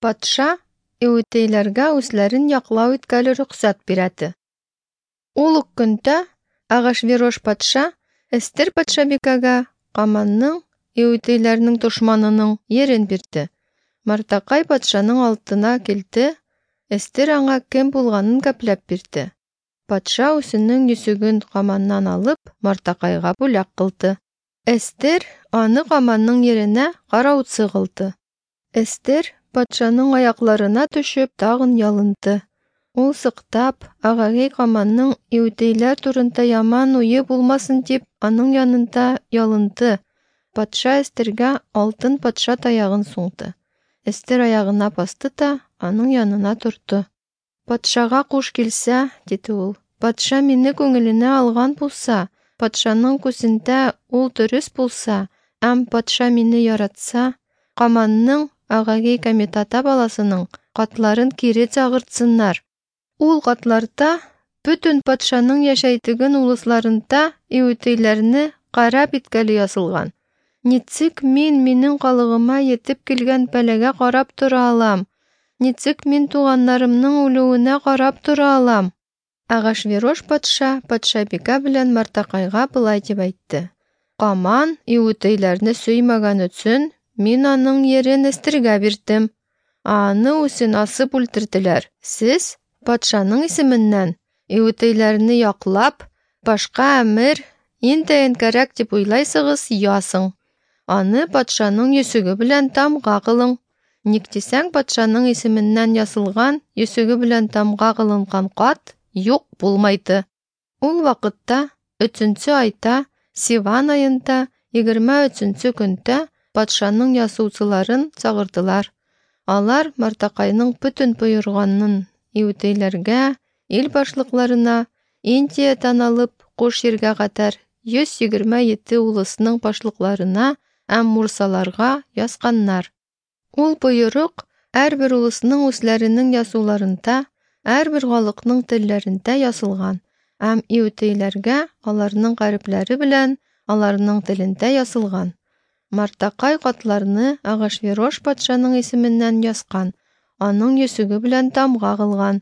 Патша иүтейләргә үзләрен яклау иткәле рөхсәт бирәде. Ул ук көндә Ахашверош патша Эстер патшабикәгә Каманның, иүтейләрнең дошманының, ерен бирде. Мартакай патшаның алдына килде, Эстер аңа кем булганын гәпләп бирде. Патша үзенең йөзеген Каманнан алып, Мартакайга бүләк кылды. Эстер аны Каманның еренә караучы кылды. Эстер патшаның аякларына төшеп тагын ялынды. Ул сыктап, Агагей Каманның иудейләр турында яман уе булмасын дип, аның янында ялынды. Патша Эстергә алтын патша таягын суңды. Эстер аягына басты да аның янына торды. Патшага куш килсә, диде ул, патша мине күңеленә алган булса, патшаның күзендә ул дөрес булса, һәм патша мине яратса, Каманның, Агагей Комитата баласының, катларын кире чагыртсыннар. Ул катларда бөтен патшаның яшәйтеген улысларында иүтейләрне карап иткәле язылган. Ничек мин минең калыгыма етеп килгән бәлагә карап тора алам? Ничек мин туганнарымның үлүенә карап тора алам? Ахашверош патша патшабикә белән Мартакайга болай дип әйтте: Каман иүтейләрне сөймәгән өчен мин аның ерен Эстергә бирдем. Ә аны үзен асып үлтерделәр. Сез патшаның исеменнән иүтейләрне яклап, башка әмер интәен кәрәк дип уйлайсыгыз, ясың. Аны патшаның йөзеге белән тамга кылың. Ник дисәң, патшаның исеменнән язылган, йөзеге белән тамга кылынган кат юк булмайды. Ул вакытта, өченче айда, Сиван аенда, 23 көндә патшаның язучыларын чагырдылар. Алар Мартакайның бөтен боерганын иудейләргә, ил башлыкларына, Индиядән алып Куш җиргә кадәр 127 улысның башлыкларына һәм мурсаларга язганнар. Ул боерык һәрбер улысның үзләренең язуларында, һәрбер халыкның телләрендә язылган һәм иудейләргә аларның гарепләре белән аларның телендә язылган. Мартакай катларны Ахашверош патшаның исеменнән язган, аның йөзеге белән тамга кылган.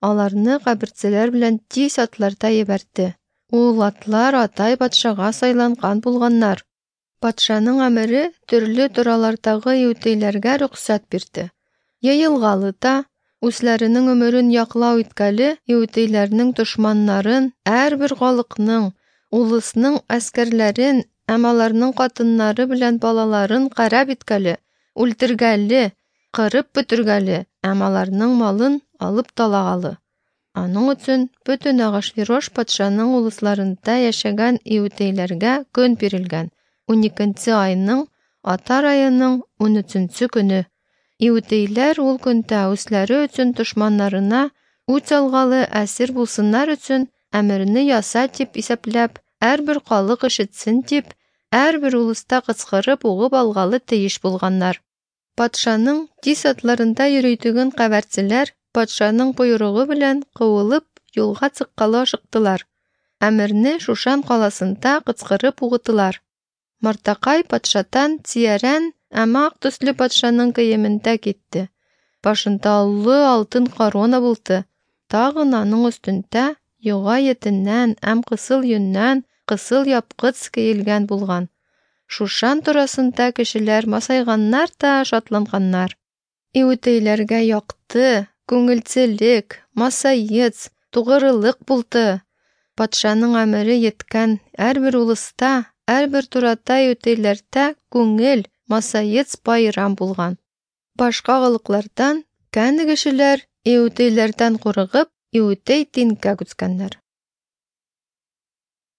Аларны каберчеләр белән тиз атларда ебәртте. Ул атлар атай патшага сайланган булганнар. Патшаның әмере төрле торалардагы иудейләргә рөхсәт бирде. Йыелгалы да, үзләренең өмерен яклау иткәле иудейләрнең дошманнарын, һәрбер халыкның, улысның әскәрләрен һәм аларның хатыннары белән балаларын карап иткәле, үлтергәле, кырып бетергәле һәм аларның малын алып талагалы. Аның өчен бөтен Ахашверош патшаның улысларында яшәгән иудейләргә көн бирелгән. 12 айның, Атар аеның 13 көне. Иудейләр ул көндә үзләре өчен дошманнарына үч алгалы әсир булсыннар өчен әмерне яса дип исәпләп, һәрбер халык ишетсен дип, һәрбер улыста кычкырып угып алгалы тиеш булганнар. Патшаның тиз атларында йөритүген кабәрчеләр патшаның боерыгы белән куылып юлга чыккалы ашыктылар. Әмерне Шушан каласында кычкырып угытылар. Мартакай патшатан тиярән һәм ак төсле патшаның киемендә китте. Башында олы алтын корона булды. Тагын аның өстендә юга етеннән һәм кысыл йөннән кысыл япкыц киелгән булган. Шушан турасында кешеләр масайганнар да шатланганнар. Иудейләргә якты, күңелчелек, масаец, тугрылык булды. Патшаның әмере еткән һәрбер улыста, һәрбер турата иудейләрдә күңел, масаец байрам булган. Башка халыклардан кәне кешеләр иудейләрдән курыгып, иудей дингә күчкәннәр.